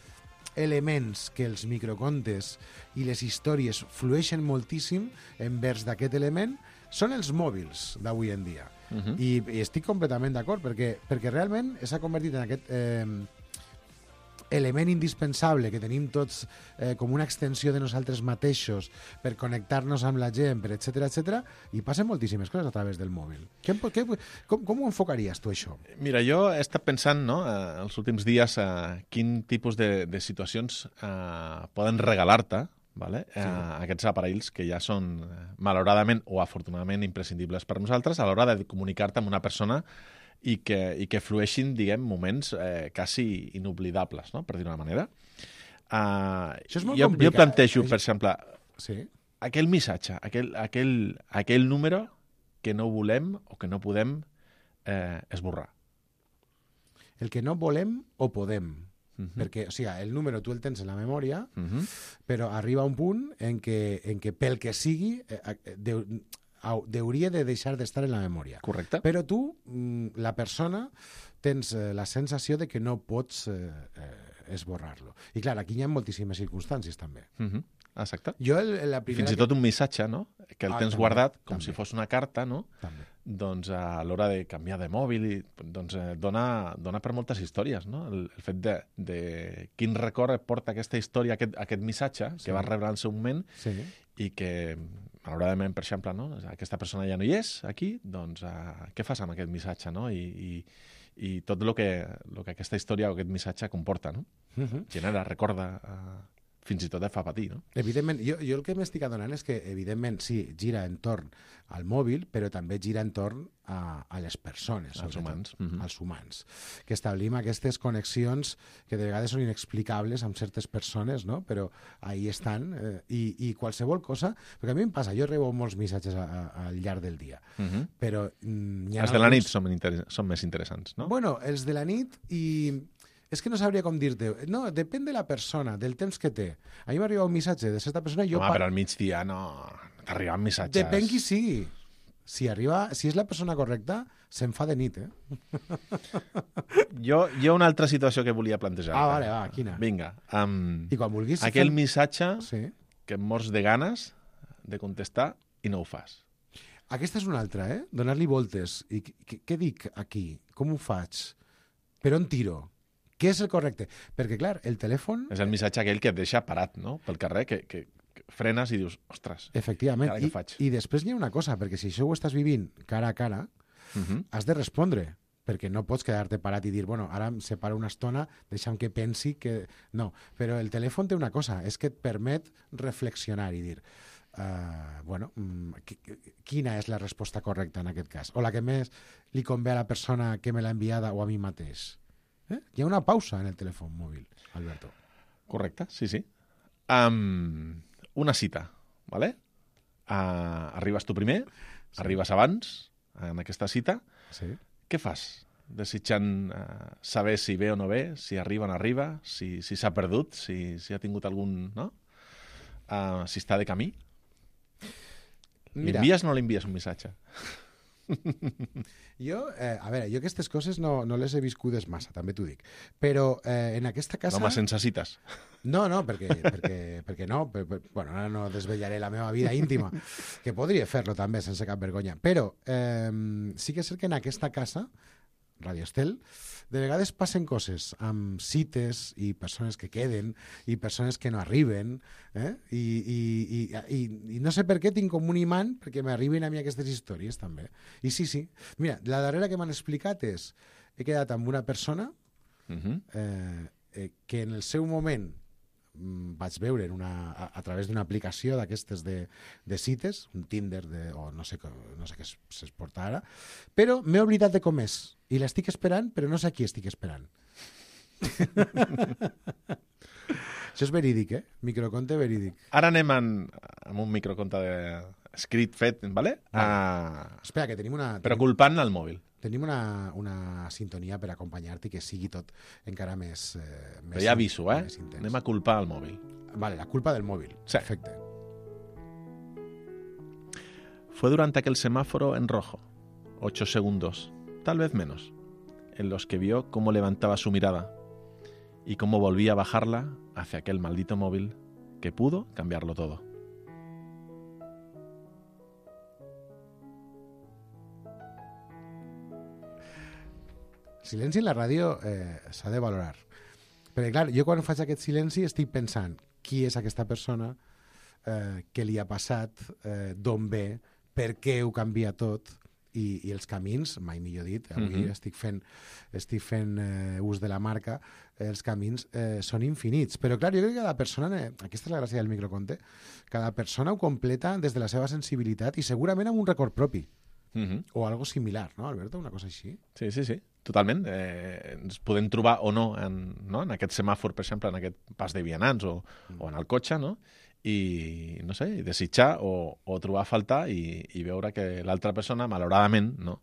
Speaker 2: elements que els microcontes i les històries flueixen moltíssim envers d'aquest element són els mòbils d'avui en dia. I estic completament d'acord, perquè realment s'ha convertit en aquest element indispensable que tenim tots com una extensió de nosaltres mateixos per connectar-nos amb la gent, per etc, i passen moltíssimes coses a través del mòbil. Com ho enfocaries tu, això?
Speaker 13: Mira, jo he estat pensant, no, els últims dies quin tipus de situacions poden regalar-te, vale? Aquests aparells que ja són malauradament o afortunadament imprescindibles per nosaltres a l'hora de comunicar-te amb una persona i que flueixin, diguem, moments quasi inoblidables, no? Per dir una manera.
Speaker 2: Això és molt
Speaker 13: jo
Speaker 2: complicat.
Speaker 13: plantejo, per exemple,
Speaker 2: sí?
Speaker 13: aquell missatge, aquell número que no volem o que no podem esborrar.
Speaker 2: El que no volem o podem. Perquè, o sigui, el número tu el tens en la memòria, però arriba un punt en què pel que sigui hauria de deixar d'estar en la memòria.
Speaker 13: Correcte.
Speaker 2: Però tu, la persona, tens la sensació de que no pots esborrar-lo. I clar, aquí hi ha moltíssimes circumstàncies també.
Speaker 13: Exacte.
Speaker 2: Jo la primera
Speaker 13: Fins i tot un missatge, no?, que el tens
Speaker 2: també,
Speaker 13: guardat com
Speaker 2: també.
Speaker 13: si fos una carta, no?
Speaker 2: També.
Speaker 13: Doncs a l'hora de canviar de mòbil doncs dona per moltes històries, no? El fet de quin record et porta aquesta història, aquest missatge que vas rebre en el seu moment i que, malauradament, per exemple, no? Aquesta persona ja no hi és aquí, doncs què fas amb aquest missatge, no? I tot el que aquesta història o aquest missatge comporta, no? Genera, recorda, fins i tot et fa patir, no?
Speaker 2: Evidentment, jo el que m'estic adonant és que, evidentment, sí, gira entorn al mòbil, però també gira entorn a les persones.
Speaker 13: Als humans.
Speaker 2: Als humans. Que establim aquestes connexions que de vegades són inexplicables amb certes persones, no? Però ahí estan. I qualsevol cosa... Perquè a mi em passa, jo rebo molts missatges al llarg del dia, però...
Speaker 13: Els de la nit són més interessants, no?
Speaker 2: Bueno, els de la nit i... És que no sabria com dir-te. No, depèn de la persona, del temps que té. A mi m'arriba un missatge de certa persona...
Speaker 13: Però al migdia no t'arriben missatges.
Speaker 2: Depèn qui sigui. Si és la persona correcta, se'n fa de nit,
Speaker 13: Jo una altra situació que volia plantejar.
Speaker 2: Vale, quina?
Speaker 13: Vinga.
Speaker 2: I quan vulguis...
Speaker 13: Aquell missatge que em mors de ganes de contestar i no ho fas.
Speaker 2: Aquesta és una altra, Donar-li voltes. I què dic aquí? Com ho faig? Per on tiro? Què és el correcte? Perquè, clar, el telèfon...
Speaker 13: És el missatge aquell que et deixa parat, no?, pel carrer, que frenes i dius, ostres,
Speaker 2: efectivament.
Speaker 13: ara què faig?
Speaker 2: I després hi ha una cosa, perquè si això ho estàs vivint cara a cara, has de respondre, perquè no pots quedar-te parat i dir, bueno, ara em separo una estona, deixa'm que pensi que... No, però el telèfon té una cosa, és que et permet reflexionar i dir, bueno, quina és la resposta correcta en aquest cas? O la que més li convé a la persona que me l'ha enviada o a mi mateix? Hi ha una pausa en el telèfon mòbil, Alberto.
Speaker 13: Correcte, sí. Una cita, ¿vale? Arribes tu primer, arribes abans, en aquesta cita.
Speaker 2: Sí.
Speaker 13: Què fas? Desitjant saber si ve o no ve, si arriba o no arriba, si s'ha perdut, si ha tingut algun... no? Si està de camí. L'envies o no l'envies un missatge?
Speaker 2: Jo aquestes coses no les he viscudes massa, també t'ho dic. Però en aquesta casa...
Speaker 13: Home, sense cites.
Speaker 2: No, perquè no. Bueno, ara no desvetllaré la meva vida íntima, que podria fer-lo també, sense cap vergonya. Però sí que és cert que en aquesta casa, Radio Estel, de vegades passen coses amb cites i persones que queden i persones que no arriben, i no sé per què tinc com un imant perquè m'arriben a mi aquestes històries també. I sí. Mira, la darrera que m'han explicat és, he quedat amb una persona que en el seu moment vaig veure a través d'una aplicació d'aquestes de cites, un Tinder o no sé què es porta ara, però m'he oblidat de com és i l'estic esperant, però no sé a qui estic esperant. Això és verídic, microconte verídic.
Speaker 13: Ara anem amb un microconte escrit, fet, ¿vale?
Speaker 2: Espera, que tenim una...
Speaker 13: Però culpant el mòbil.
Speaker 2: Tenim una sintonia per acompanyar-te que sigui tot encara més...
Speaker 13: Però ja aviso, anem a culpar el mòbil.
Speaker 2: Vale, la culpa del móvil.
Speaker 13: Sí.
Speaker 2: Perfecto.
Speaker 13: Fue durante aquel semáforo en rojo, 8 segundos, tal vez menos, en los que vio cómo levantaba su mirada y cómo volvía a bajarla hacia aquel maldito móvil que pudo cambiarlo todo.
Speaker 2: silenci en la ràdio s'ha de valorar. Perquè, clar, jo quan faig aquest silenci estic pensant qui és aquesta persona, què li ha passat, d'on ve, per què ho canvia tot, i els camins, mai millor dit, avui estic fent ús de la marca, els camins són infinits. Però, clar, jo crec que cada persona, aquesta és la gràcia del microconte, cada persona ho completa des de la seva sensibilitat i segurament amb un record propi. O algo similar, no, Alberto? Una cosa així?
Speaker 13: Sí, totalment. Ens podem trobar o no en aquest semàfor, per exemple, en aquest pas de vianants o en el cotxe, no? I, no sé, desitjar o trobar a faltar i veure que l'altra persona, malauradament, no,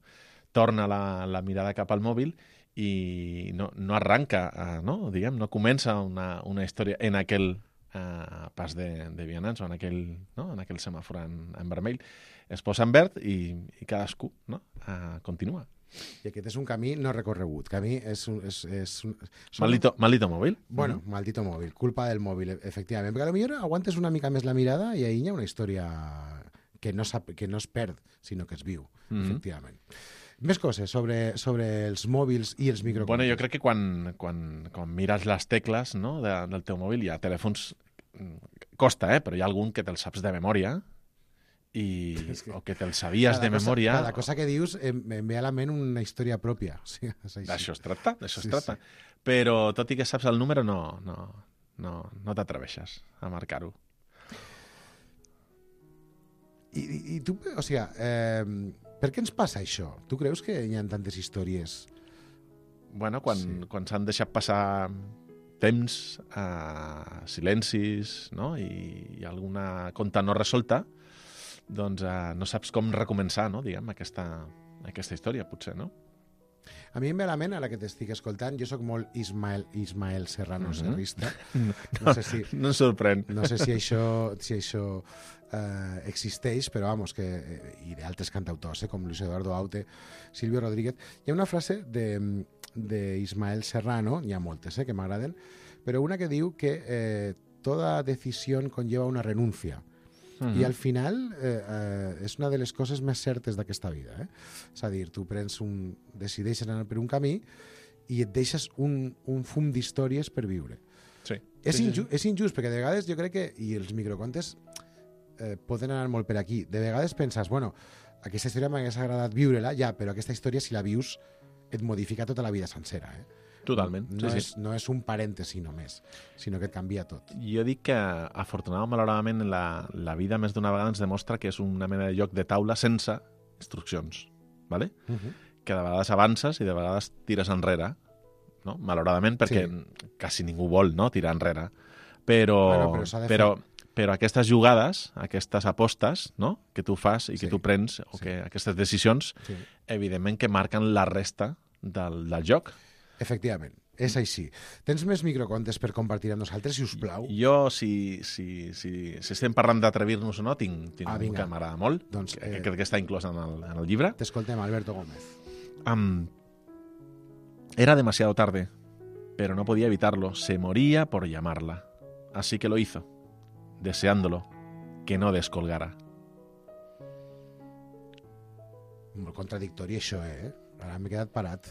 Speaker 13: torna la mirada cap al mòbil i no arranca, no comença una història en aquell pas de vianants o en aquell semàfor en vermell. Es posa en verd i cadascú continua.
Speaker 2: I aquest és un camí no recorregut. Camí és
Speaker 13: Maldito mòbil.
Speaker 2: Bueno, maldito mòbil. Culpa del mòbil, efectivament. Perquè potser aguantes una mica més la mirada i ahir hi ha una història que no es perd, sinó que es viu, efectivament. Més coses sobre els mòbils i els microcontes.
Speaker 13: Bueno, jo crec que quan mires les tecles, no, del teu mòbil, hi ha telèfons... Costa, però hi ha algun que te'l saps de memòria o que te'l sabies de memòria.
Speaker 2: Cada cosa que dius em ve a la ment una història pròpia. Sí,
Speaker 13: d'això es tracta. Però tot i que saps el número, no t'atreveixes a marcar-ho.
Speaker 2: I tu, o sigui, per què ens passa això? Tu creus que hi ha tantes històries?
Speaker 13: Bueno, quan s'han deixat passar temps, silencis, no? I alguna conta no resolta, doncs no saps com recomençar, no, diguem, aquesta història, potser, no?
Speaker 2: A mi em ve a la ment, ara que t'estic escoltant, jo sóc molt Ismael Serrano serrista.
Speaker 13: No em sorprèn.
Speaker 2: No sé si això existeix, però vamos, i d'altres cantautors, com Luis Eduardo Aute, Silvio Rodríguez. Hi ha una frase d'Ismael Serrano, hi ha moltes que m'agraden, però una que diu que toda decisión conlleva una renuncia. I al final és una de les coses més certes d'aquesta vida. És a dir, tu decideixes anar per un camí i et deixes un fum d'històries per viure.
Speaker 13: Sí.
Speaker 2: És injust, perquè de vegades jo crec que, i els microcontes poden anar molt per aquí, de vegades penses, bueno, aquesta història m'hagués agradat viure-la, ja, però aquesta història, si la vius, et modifica tota la vida sencera.
Speaker 13: Totalment.
Speaker 2: No és un parèntesi només, sinó que et canvia tot.
Speaker 13: Jo dic que, afortunadament o malauradament, la vida més d'una vegada ens demostra que és una mena de joc de taula sense instruccions, ¿vale? Que de vegades avances i de vegades tires enrere, no? Malauradament, perquè quasi ningú vol, no, tirar enrere. Però aquestes jugades, aquestes apostes, no?, que tu fas i que tu prens, o que aquestes decisions, evidentment que marquen la resta del joc.
Speaker 2: Efectivament, és així. Tens més microcontes per compartir amb nosaltres, si us plau?
Speaker 13: Jo, si estem parlant d'atrevir-nos o no, tinc un que m'agrada molt, que crec que està inclòs en el llibre.
Speaker 2: T'escoltem, Alberto Gómez.
Speaker 13: Era demasiado tarde, pero no podía evitarlo. Se moría por llamarla. Así que lo hizo, deseándolo que no descolgara.
Speaker 2: Molt contradictori, això, Ara m'he quedat parat.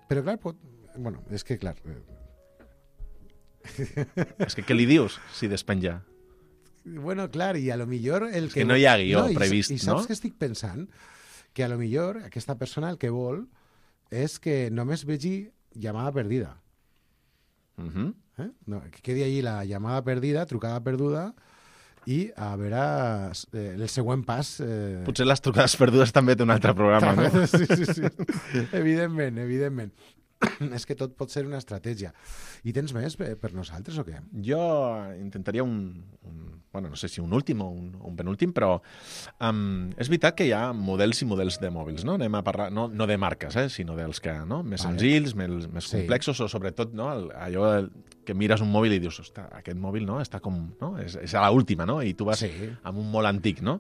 Speaker 2: Però, clar, bueno, és que, clar...
Speaker 13: És que què li dius si despenja?
Speaker 2: Bueno, clar, i a lo millor...
Speaker 13: que no hi ha guió previst, no?
Speaker 2: I saps què estic pensant? Que a lo millor aquesta persona el que vol és que només vegi llamada perdida. Que quedi allí la llamada perdida, trucada perduda, i a veure el següent pas...
Speaker 13: Potser les trucades perdudes també té un altre programa, no?
Speaker 2: Sí. Evidentment. És que tot pot ser una estratègia. I tens més per nosaltres o què?
Speaker 13: Jo intentaria bueno, no sé si un últim o un penúltim, però és veritat que hi ha models i models de mòbils, no? Anem a parlar, no de marques, sinó dels que, no? Més senzills, més complexos, o sobretot, no? Allò que mires un mòbil i dius, ostres, aquest mòbil, no? Està com, no? És a l'última, no? I tu vas amb un molt antic, no?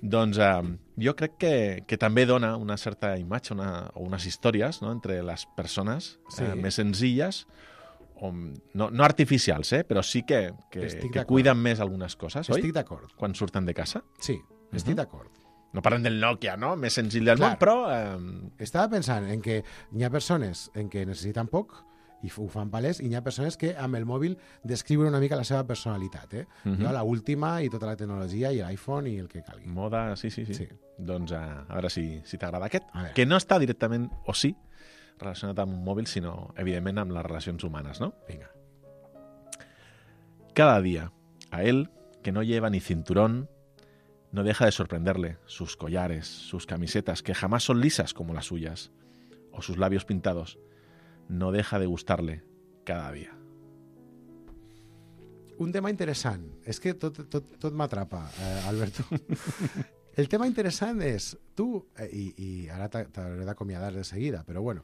Speaker 13: Doncs jo crec que també dona una certa imatge o unes històries, no?, entre les persones més senzilles, no artificials, però sí que cuiden més algunes coses, oi?
Speaker 2: Estic d'acord.
Speaker 13: Quan surten de casa.
Speaker 2: Sí, estic d'acord.
Speaker 13: No parlem del Nokia, no? Més senzill del
Speaker 2: Clar.
Speaker 13: món, però...
Speaker 2: Estava pensant en que hi ha persones en què necessiten poc i ho fan palès, i hi ha persones que amb el mòbil descriuen una mica la seva personalitat, Jo, la última i tota la tecnologia i l'iPhone i el que calgui.
Speaker 13: Moda, sí. Doncs a veure si t'agrada aquest, que no està directament, o sí, relacionat amb un mòbil, sinó, evidentment, amb les relacions humanes, ¿no?
Speaker 2: Venga.
Speaker 13: Cada día, a él, que no lleva ni cinturón, no deja de sorprenderle sus collares, sus camisetas, que jamás son lisas como las suyas, o sus labios pintados. No deja de gustarle cada día.
Speaker 2: Un tema interessant. És que tot m'atrapa, Alberto. El tema interessant és, tu, i ara t'hauré d'acomiadar de seguida, però bueno,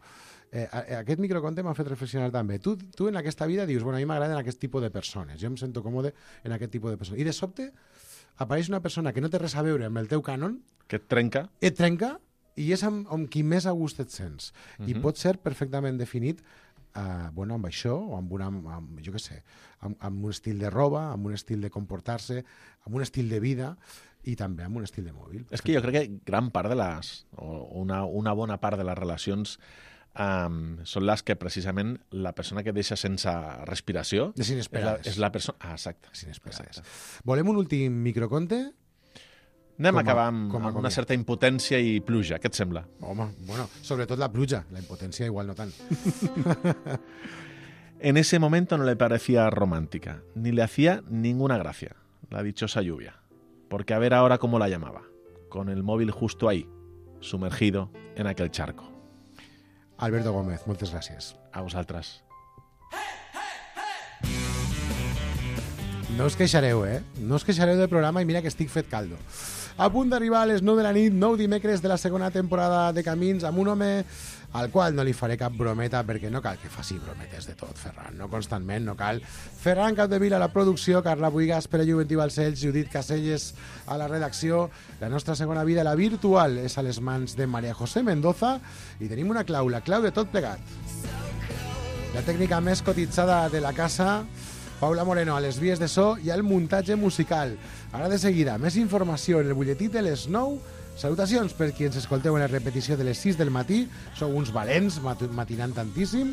Speaker 2: aquest microconte m'ha fet reflexionar també. Tu en aquesta vida dius, bueno, a mi m'agraden aquest tipus de persones, jo em sento còmode en aquest tipus de persones. I de sobte apareix una persona que no té res a veure amb el teu cànon,
Speaker 13: que et trenca,
Speaker 2: i és amb qui més a gust et sents. I pot ser perfectament definit amb això, o amb un estil de roba, amb un estil de comportar-se, amb un estil de vida i també amb un estil de mòbil.
Speaker 13: És que jo crec que gran part de una bona part de les relacions són les que precisament la persona que deixa sense respiració és la persona... exacte.
Speaker 2: Desinesperades. Volem un últim microconte?
Speaker 13: Anem a acabar amb una certa impotència i pluja, què et sembla?
Speaker 2: Home, bueno, sobretot la pluja, la impotència igual no tant.
Speaker 13: En ese momento no le parecía romántica, ni le hacía ninguna gracia, la dichosa lluvia, porque a ver ahora cómo la llamaba, con el móvil justo ahí, sumergido en aquel charco.
Speaker 2: Alberto Gómez, moltes gràcies.
Speaker 13: A vosaltres.
Speaker 2: No us queixareu, No us queixareu del programa i mira que estic fet caldo. A punt d'arribar a les 9 de la nit, 9 dimecres de la segona temporada de Camins, amb un home al qual no li faré cap brometa, perquè no cal que faci brometes de tot, Ferran, no constantment, no cal. Ferran Capdevila a la producció, Carla Buigas, Pere Juventí Balcells, Judit Caselles a la redacció. La nostra segona vida, la virtual, és a les mans de María José Mendoza i tenim una clau, la clau de tot plegat. La tècnica més cotitzada de la casa, Paula Moreno a les vies de so i al muntatge musical. Ara de seguida, més informació en el butlletí de les 9. Salutacions per qui ens escolteu en la repetició de les 6 del matí. Sou uns valents, matinant tantíssim.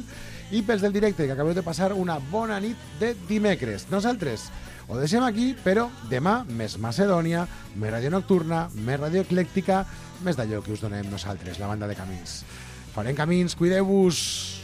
Speaker 2: I pels del directe, que acabeu de passar una bona nit de dimecres. Nosaltres ho deixem aquí, però demà més Macedònia, més ràdio nocturna, més ràdio eclèctica, més d'allò que us donem nosaltres, la banda de Camins. Farem Camins, cuideu-vos!